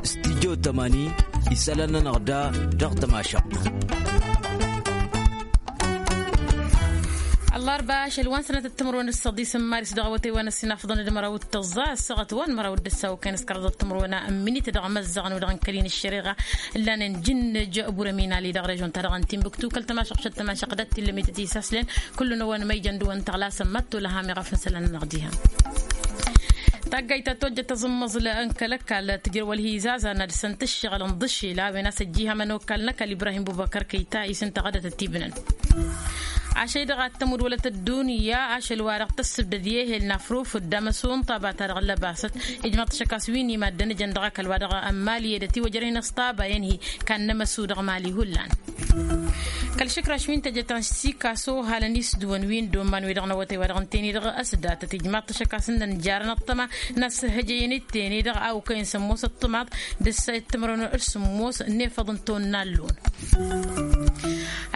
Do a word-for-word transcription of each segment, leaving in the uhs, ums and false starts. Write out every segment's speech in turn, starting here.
Studyo tămani isălan-nănăɣ da dăɣ-tămašăɣt. Ăllarba ašăl wa n-sănătăt timǝrwen d-săḍis n-maris dăɣ-awătay wa n-ăssinafăḍăn d-măraw d-tăẓẓa ăssaɣăt wa n-măraw d-ǝssaw kăyăn s-kăraḍăt timǝrwen n-minit dăɣ-măzzăɣăn wi-dăɣ n-kăl-in ăššăreɣa ǝllan n-jǝnnǝj. Burăminali dăɣ-režon-ta-dăɣ n-timbuktu kăl-tămašăɣ šăt tămašăɣ d-ad-t-illăm i-tăt-isaslen. Kullu n-ewăn măyjăn d-ewăn tăɣlasăn mătto lăham iɣăf n-isălan-nănăɣ diha. Taggayt ta tojjăt aẓǝmmăẓǝl n-kăl-ăkall tǝjrăw ălhizazan ad-săn-t ǝššăɣǝl n-iḍǝššel a-wen a-s ăjjiihăm ănokkal n-ăkall ibrahim bubăkăr kăyta isǝnta ɣădăt ătibnăn. Ašăy-dăɣ ad-tămudwălăt ăddunya ašăl-wa-dăɣ tăssǝbdăd i-ehel n-afrufǝd d-amăsu n-ṭaba-ta-dăɣ n-lăbasăt. Ijmăḍ-t ašăk a-s wi n-imaddăn ǝjăn dăɣ-ăkall-wa-dăɣ n-mali i-dăt iwăjrăyăn s-ṭaba i-ănhi. Kan n-amăsu dăɣ-mali hullan. Kăl-išǝkraš wi n-tejăt ta n-sikaso halăn-i s-dăwăn wi n-dd-omman wi-dăɣ n-awătay wa dăɣ-ǝnten-i-dăɣ ăsdatăt ijmaḍ-t ašăk a-s ǝnnăn jarăn ăṭṭăma n-asǝhhăjăyăn iten-i-dăɣ a okăyăn sămmos ăṭṭămaḍ d-ǝssa i-timrăwăn d-sămmos n-efăḍ n-tonna allun.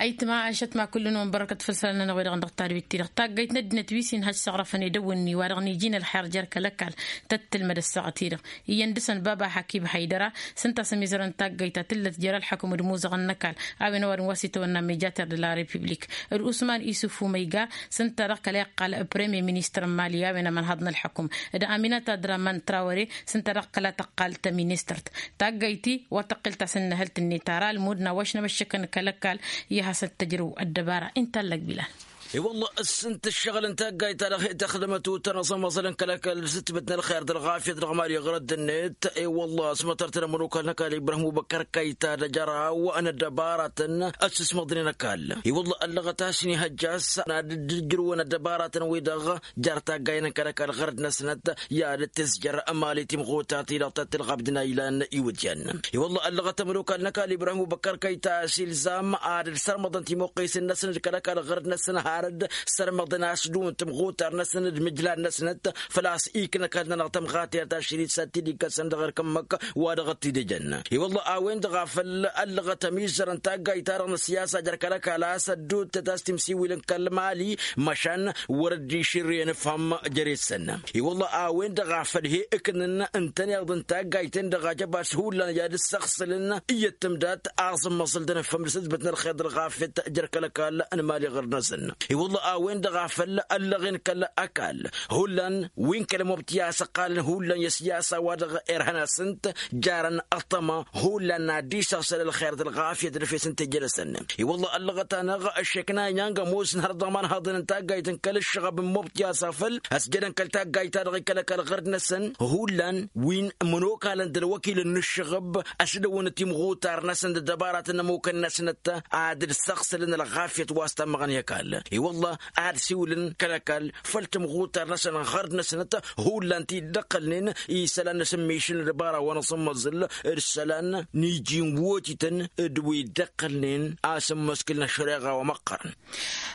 Ayǝtma ašăt ma kullu-năwăn bărăkăt făll-isălan-nănăɣ wi-dăɣ n-dăɣ-tadwit-ti-dăɣ taggayt n-ăddinăt wi s-inhăj s-aɣrăfăn edăwwǝnni wa dăɣ-niji n-ălxer jer-kăl-ăkall tăt-tǝlmăd ăssaɣăt-i-dăɣ iyyăn dăɣ-săn baba hakib haydăra. S-ǝnta a-s ămizărăn taggayt ta tǝllăt jer-ălḥăkum d-imuzăɣăn n-ăkall a-wen ăwadǝm wa s-itawănna mejater de la republik d-usman isuf umăyga. S-ǝnta dăɣ-kăla iqqal premier ministăr n-mali a-wen ămănhăḍ n-ălḥăkum d-aminat adraman trawăre. S-ǝnta dăɣ-kăla tăqqal tăministărt taggayt-i wa tăqqel tasǝnnăhălt-net ara ălmud n-awăš n-amăššăkăn kăl-ăkall. I-ad-hasăn-t-tăjrăw ăddăbara inta allăg bilal. I-wălla ǝssǝnt ǝššăɣǝl n-taggayt ta dăɣ-hi-tăxdămăt utăn aẓămăẓălăn kăl-ăkall s-ǝtbǝt n-ălxer d-ălɣafyăt dăɣ-mali ɣărăt-net. I-wălla s-mătărtăn ămănokal n-ăkall ibrahim ubăkkăr kăyta d-ajăraw n-ăddăbaratăn ăssismăḍnen ăkall. I-wălla ăllăɣăt a-s inihăjja a-s ad-dd-ǝjrǝwăn ăddăbaratăn-wi-dăɣ jer-taggayen n-kăl-ăkall ɣărăt-năsnăt i-ad-dd-tǝzjăr mali timɣutar-ti-dăɣ ta t-ǝlɣabdǝn a ilan iwǝdyan. I-wălla ăllăɣăt ămănokal n-ăkall ibrahim ubăkkăr kăyta a-s ilzam ad-ǝlsărmăḍăn timăqqesen-năsăn d-kăl-ăkall ɣărăt-năsăn har dd-sărmăḍăn a-s ǝddǝwǝn timɣutar-năsăn d-imǝjlan-năsnăt făl-a-s ikna ăkall-nănăɣ tămɣatert ašăl-i d-sat-t-dd-ikkăsăn dăɣ-erk ǝmmǝk wa dăɣ-t-dd-ejăn. I-wălla a-wen-dăɣ a făl ăllăɣăt ămizzărăn taggayt-ta-dăɣ n-ăssiyasa jer-kăl-ăkall a-s ăddoottet a-s timsiwilăn kăl-mali măšan wăr-dd-išǝrrǝyăn ǝfhăm jere-săn. I-wălla a-wen-dăɣ a făl he-ǝknǝn ǝntăneḍ n-taggayt-en-dăɣ a jăbas hullan i-ad-ǝssăɣsǝlăn iyyăt tǝmdat aẓǝmmăẓǝl d-anăffăm d-sǝtbǝt n-ălxer d-ălɣafyăt jer-kăl-ăkall n-mali ɣur-năsăn. I-wălla a-wen-dăɣ a făl ăllăɣen kăl-ăkall hullan wi n-kăl-mobti a-s ăqqalăn hullan i-ăssiyasa wa dăɣ-irhăn-asăn-t jarăn ăṭṭăma hullan n-ad-dd-isăɣsăl ălxer d-ălɣafyăt d-efes n-tejălăsăn. I-wălla ăllăɣăt-anăɣ ăššekna inyang ămoosăn hărăt dăɣ-imanhaḍăn n-taggayt n-kăl-ǝššăɣăb n-mobti a-s afăl ăsjădăn kăl-taggayt-ta-dăɣ i-kăl-ăkall ɣărd-năsăn hullan wi n-imănokalăn d-ălwăkilăn n-ǝššăɣăb ăsdăwăn timɣutar-năsăn d-ăddăbaratăn n-ămukăn-năsnăt ad-dd-săɣsălăn ălɣafyăt wa s-tammăɣăn i-ăkall. I-wălla ad-siwǝlăn kăl-ăkall făll-timɣutar-năsăn ɣărd-năsnăt hullan ti dd-ăqqălnen isălan n-asǝmmišǝl n-ăddăbara wa n-aẓǝmmăẓǝl d-isălan n-iji n-wotităn d-wi dd-ăqqălnen a-s ǝmmǝskǝlăn ăššăreɣa wa măqqărăn.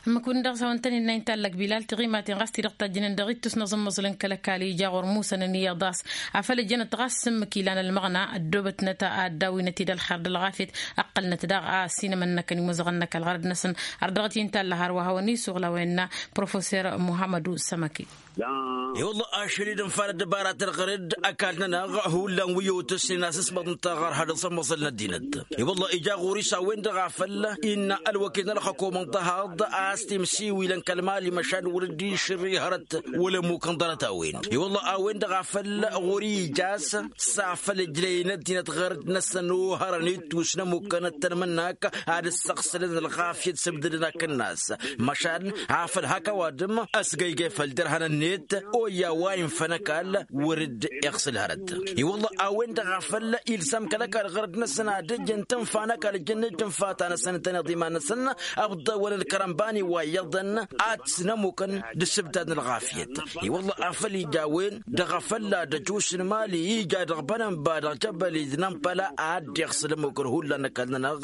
Ǝmmǝk-win-dăɣ s-a-wăn tăn-innă inta allăg bilal tiɣimaten ɣas ti-dăɣ tajjǝnen dăɣ-ittus n-aẓǝmmăẓǝl n-kăl-ăkall ija ɣur-musănăn i-iḍas afăl ǝjjănăt ɣas s-ǝmmǝk ilan ălmăɣna ăddoobătnăt ad-dawinăt-dd ălxer d-ălɣafyăt. Ăqqălnăt daɣ a ăsinămăn-năkăn imuzăɣăn-năk ălɣărăd-năsăn. Ărdăɣăt-i ǝnta a ăllăɣ hărwa a hawăn-isuɣǝl a-wa innă professor muhammădu sămăki. I-wălla ašăl-i d-ǝnfalăt dăbaratăn ɣăr-dd ăkall-nănăɣ hullan wi ăwtăsnen asǝsmăḍ n-taɣărha d-aẓămmăẓăl n-ăddinăt. I-wălla ija ɣur-i s-a-wen-dăɣ a făl innă ălwăkil n-ălxăkum ǝnḍăhaḍ a-s timsiwilăn kăl-mali măšan wăr dd-išǝrri hărăt wăla ămmukăn ḍarăt-a-wen. I-wălla a-wen-dăɣ a făl ɣur-i ija a-s s-afăl ǝjlăyăn ăddinăt ɣărăt-năsăn ohărăn ittus n-ămukăn ăttănmǝnnak ad-ǝssăɣsălăn ălɣafyăt s-ǝbdădăn akǝnnas. Măšan afăl hak ăwadǝm ăsgăygăy făll-dărhăn-net oyya wa infăn ăkall wăr-dd-iɣsǝl hărăt. I-wălla a-wen-dăɣ a făl ilsăm kăl-ăkall ɣărăt-năsăn ad-ǝjǝn tǝnfa n-ăkall ǝjǝn-dd tǝnfa-ta-năsăn ǝntăneḍ iman-năsăn ăbḍăwăn ălkărănbani wa iyyăḍăn ad-t-snămukăn d-ǝssǝbdad n-ălɣafyăt. I-wălla afăl ija a-wen-dăɣ a făl ad-ăjus n-mali ija dăɣ-bănănba dăɣ-jăbăl-i d-nănpăla ad-dd-iɣsǝl ămmukăn hullan n-ăkall-nănăɣ.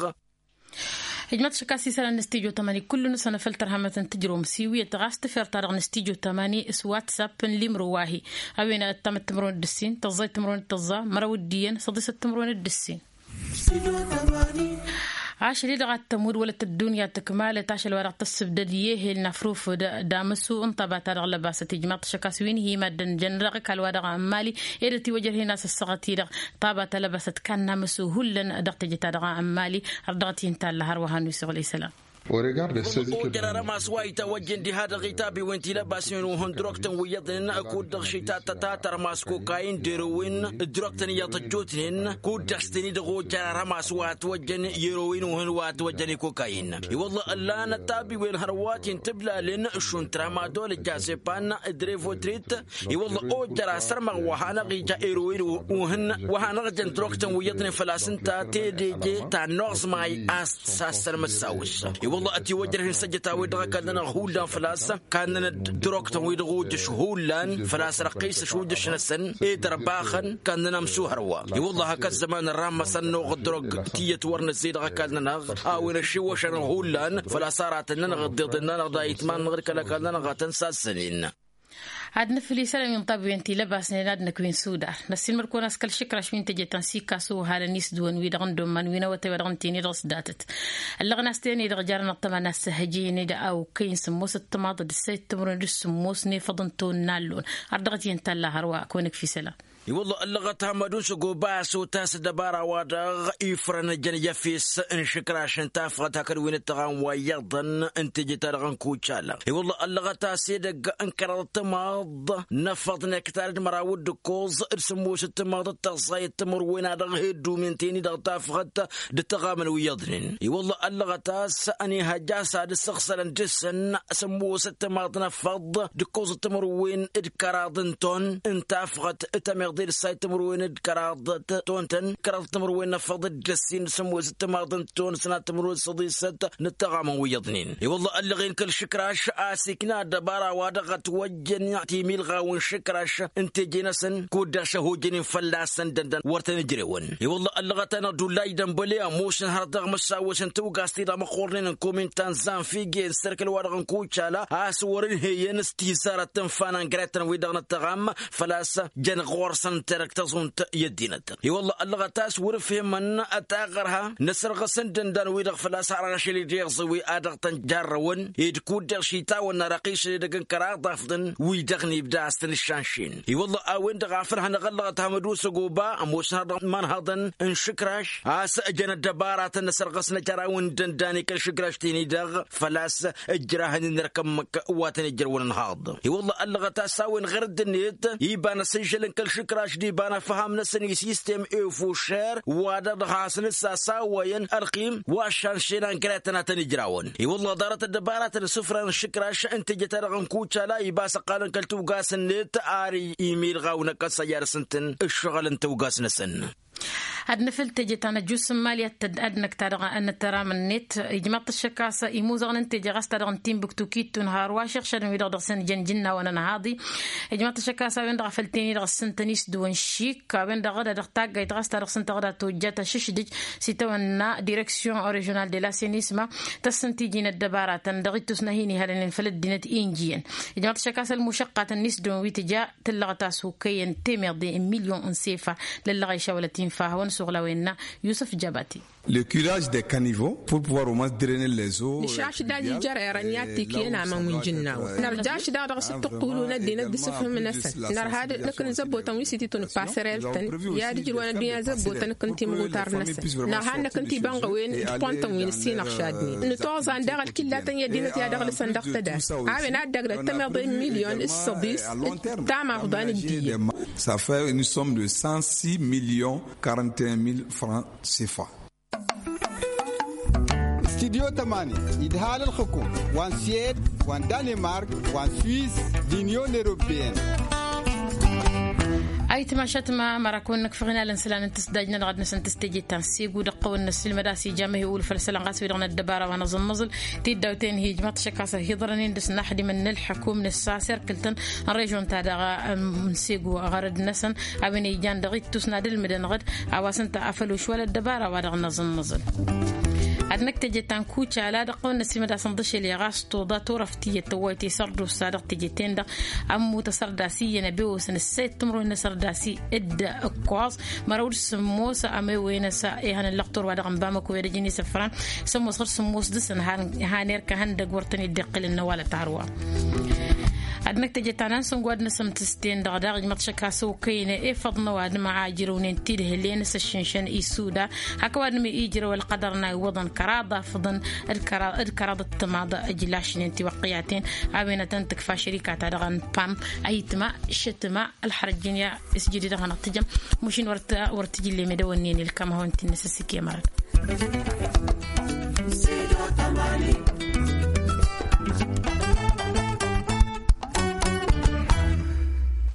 Ijmăḍ šăkk a-s isălan n-studyo tămani kullu-năsăn a făl tărhămăt n-tǝjrǝwăm s-iwǝyăt ɣas tǝfer-ta-dăɣ n-studyo tămani s-whatsapp n-limro wa hi-a-wen ăttamăt timǝrwen d-ǝssin tăẓẓayt timǝrwen d-tăẓẓa mărăw d-iyyăn săḍisăt timǝrwen d-ǝssin. Ašăl-i-dăɣ ad-tămudd wălăt ăddunya tǝkmalăt ašăl wa dăɣ-tăssǝbdăd i-ehel n-afrufǝd d-amǝsu n-tăba-ta-dăɣ lăbasăt ijmaḍ-t ašăk a-s wi n-hi-maddǝn jăn dăɣ-ăkall wa dăɣ-ămmali. Ed ătiwăjrăh-in a-s ăssaɣăt-i-dăɣ tăba ta lăbasăt kannamǝsu hullan dăɣ-teje-ta-dăɣ ămmali. Ărdăɣăt-i n-talla hărwa hannu-i s-iɣlăy isălan. Ojăr arămas wa itawăjjăn diha dăɣ-itabiwen ti lăbasnen uhǝn droktăn wi iyyăḍnen kud-dăɣ šitattătat armas kokayin d-erowen d-droktăn iyyăḍ ăjjootnen kud-dăɣ s-teni-dăɣ ojăr arămas wa ătwăjjăn i-erowen uhǝn wa ătwăjjăn i-kokayin. I-wălla ăllanăt tabiwen hărwaten tǝblalen šund tramadol d-jazepan d-revotrit. I-wălla ojăr asărmăɣ wa hanăɣ-ija erowen uhǝn wa hanăɣ-jăn droktăn wi iyyăḍnen făl-a-s ǝnta tedeje ta n-oẓmay a-s sassăn măssawǝs. I-wălla ătiwăjrăh-in săjjăt a-wen-dăɣ ăkall-nănăɣ hullan făl-a-s kannăn-dd droktăn-wi-dăɣ ujǝš hullan făl-a-s răqqisăš ujǝš-năsăn ed ărbaxăn kannăn amsuhăr wa. I-wălla hak ăzzăman ărrammăsăn noɣ dd-drok tiyyăt wăr nǝzzey dăɣ-ăkall-nănăɣ a-wen ăššiwwăšăn hullan făl-a-s aratăn-nănăɣ dd-iḍǝn-nănăɣ d-ayǝtman n-aɣrǝkăl ăkall-nănăɣ ad-tăn-sassănen. Ad-nǝfǝl isălan wi n-tabiwen ti lăbasnen ad-năkk wi n-sudar năssiilmăd-kăwăn a-s kăl-išǝkraš wi n-teje ta n-sikasu ăhalăn isdǝwăn-wi-dăɣ n-dd-omman wi n-awătay wa dăɣ-nǝtǝyni dăɣ-s datăt. Ăllăɣăn a-s teni-dăɣ jarăn ăṭṭăma n-assăhăjăyăn d-awkăyăn sǝmmosăt timaḍ d-ǝssayăt timǝrwen d-sǝmmos n-efăḍ n-tonna ăllon. Ardăɣăt-i n-talla hărwa kăwăn-ǝkf isălan. I-wălla ăllăɣăt hamădun s-ăgoba a-s otas ăddăbara-wa-dăɣ ifrăn jăn i-efes n-išǝkraš n-tafɣăt hakd wi n-ǝttăɣam wa iyyăḍăn n-teje-ta-dăɣ n-kucala. I-wălla ăllăɣăt a-s edăgg n-kăraḍ timaḍ n-efăḍ n-ektar d-măraw d-ǝkkoẓ d-sǝmmosăt timaḍ d-tăẓẓayăt timǝrwen a dăɣ-he-dd-umen teni-dăɣ tafɣăt d-ǝttăɣamăn wi iyyăḍnen. I-wălla ăllăɣăt a-s ănihăjja a-s ad-ǝssăɣsălăn dăr-săn sǝmmosăt timaḍ n-efăḍ d-ǝkkoẓăt timǝrwen d-kăraḍ n-ton n-tafɣăt tămeḍe d-ǝssayăt timǝrwen d-kăraḍ ton-tăn kăraḍ timǝrwen n-efăḍ d-ăssin d-sǝmmosăt timaḍ n-ton sănat timǝrwen d-săḍisăt n-ǝttăɣamăn wi iyyăḍnen. I-wălla ăllăɣen kăl-išǝkraš a-s ikna ăddăbara wa dăɣ-ătwăjjăn timilɣawen išǝkraš n-teje-năsăn kud-dăɣ šăhojănen fălla-săn dăndăn wăr tăn-ǝjrewăn. I-wălla ăllăɣăt-anăɣ dullaj dănbăle ămoosăn har dăɣ-măssawăs n-tawgast-i-dăɣ măqqornen n-komin ta n-zanfige n-sărkăl-wa-dăɣ n-kucala a-s wăr-ǝnhăyăn s-tizarăt n-fan ăngretăn-wi-dăɣ n-ăttăɣam făl-a-s jăn ɣur-săn tărăk tăẓunt i-ăddinăt. I-wălla ăllăɣăt a-s wăr-ǝfhemăn taɣărha n-asărɣǝs n-dăndan-wi-dăɣ făl-a-s har ašăl-i-dăɣ iẓǝwi a dăɣ-tăn-jarrăwăn ed kud-dăɣ šitawănna răqisăn edăgg n-kăraḍ afḍăn wi-dăɣ n-ibda a-s tăn-ǝššanšen. I-wălla a-wen-dăɣ a făl hanăɣ-ăllăɣăt hamădun s-ăgoba ămoosăn har dăɣ-imanhăḍăn n-išǝkraš a-s ǝjăn ăddăbaratăn n-asărɣǝs n-ajăraw n-dăndan i-kăl-išǝkraš teni-dăɣ făl-a-s ǝjrahăn-in ărkămmăk wa tăn-ijrăwăn ănhaḍ. I-wălla ăllăɣăt a-s a-wen ɣer dd-net iba n-asǝžžăl n-kăl-išǝkraš d-iba n-afham-năsăn i-sistem efošer wa-dăɣ dăɣ-hasăn-dd-sasawăyăn ălqim wa ăššanšen angretăn a tăn-ijrawăn. I-wălla ḍarăt ăddăbaratăn isǝfran n-išǝkraš n-teje-ta-dăɣ n-kucala iba s-ăqqalăn kăl-tawgast-net ar imilɣaw n-ăkkăs a ijrăsăn-tăn ǝššăɣǝl n-tawgast-năsăn. Ad-nǝfǝl teje ta n-ăjus n-imali ad-năkk ta dăɣ-năttăram-net ijmaḍ-t ăššăk a-s imuzăɣăn n-teje ɣas ta dăɣ-n timbuktu kittun har wa šăɣšadăn wi-dăɣ dăɣ-săn jăn jǝnnawăn ănhaḍi. Ijmaḍ-t ăššăk a-s a-wen-dăɣ a făl teni dăɣ-săn tăn-isdǝwăn šik a-wen-dăɣ dd-ad-dăɣ taggayt ɣas ta dăɣ-săn tăɣda tojjat ašǝšdǝj s-itawănna direksyon režional de la senisma. Tăssăn tiji n-ăddăbaratăn dăɣ-ittus n-ad-hin-ihălănen făll-ăddinăt i n-jiyăn. Ijmaḍ-t ăššăk a-s ălmušăqqat n-isdǝwăn wi tǝja tǝllăɣăt a-s okăyăn temeḍe n-milyon n-sefa. Lăllăɣ a išawălăt infa hawăn-suɣla wenna yusǝf jabati. Le curage des caniveaux pour pouvoir au moins drainer les eaux. Nǝšašdaj ijărerăn i-ad-t-ikǝyăn aman wi n-jǝnnawăn nărjaš daɣ dăɣ-s dd-tǝqqulu n-ăddinăt d-asǝfhǝm-năsăn. Nărha d-năkk n-zăbbotăn wi s-ititun passerel-tăn i-ad-ǝjrǝwăn ăddunya zăbbotăn năkk n-timɣutar-năsăn. Nărha d-năkk n-tibănɣăwen d-pont-tăn wi n-ǝssinăɣšadnen nǝtoẓan daɣ ălkillatăn i-ăddinăt i-ad-ăɣlǝsăn dăɣ-tădast. A-wen ad-dd-ăgg d-ăttămeḍe n-milyon s-săḍis d-tamăḍa n-ǝddiyǝn. Ça fait une somme de cent six millions quarante et un mille francs cfa. Studyo tămani idhal ălxǝkum wa n-swed wa n-danemark wa n-swiss d-inyon europeyăn. Ayǝtma ašăt ma mărakăwăn nǝkfăɣ inalăn isălan n-tǝsdaj-nănăɣ ad-năsăn tǝsteje ta n-segu dăɣ-tăwăn n-ăssilmăd a-s ija măhewul făll-isălan ɣas wi-dăɣ n-ăddăbara wa n-aẓǝmmăẓǝl. Tiddawten hi-ijmaḍ-t ašăk a-s ăhiḍărăn-in dăɣ-s n-aḥdimăn n-ălḥăkum n-ăssaserkǝl-tăn n-režon-ta-dăɣ n-segu ɣărăd-năsăn. A-wen ijan dăɣ-ittus n-ad-ǝlmǝdăn ɣǝd a-wa s-ǝnta a făl ošwal ăddăbara wa dăɣ-năẓǝmmăẓǝl. Ad-năkk teje ta n-kucala dăɣ-tăwănna s-imădasăn ḍašăl i-ɣas tuḍa turăft tiyyăt tăwwayăt i-sărdusa dăɣ-teje-ten-dăɣ. Ămmut asărdas iyyăn abewăsăn ăssayăt timǝrwen n-asărdas i-dd ǝkkoẓ măraw d-sǝmmos. Amewăyăn ăsa ihăn n-lăqtor wa dăɣ-n bamăko i-ad-ăjăn isăfran sămmos ɣur-sǝmmos dăɣ-săn. Han erk ehăndăg wăr tăn-dd-iqqǝlăn n-ăwalăt arwa. Ad-năkk teje ta n-ansǝngo ad-năsǝmtǝs-ten-dăɣ daɣ ijmăḍ šăkk a-s okăyăn efăḍ n-ăwadǝm a ijrăwnen tidhǝlen s-ăššǝnšăn isuda. Hak ăwadǝm ijrăw ălqădăr n-a iwwăḍăn kăraḍ afǝḍăn d-kăraḍ d-timaḍ. Ǝjlašnen tiwăqqiyaten a-wen ad-tăn-tǝkfa šărika-ta-dăɣ n-pam. Ayǝtma šătma ălxărăt jǝnǝya s-jădid ad-hanăɣ-tǝjăm. Mušin wăr t-jǝllem edăwănnen ilkam hawăn-t-innăs ăssikem arăt.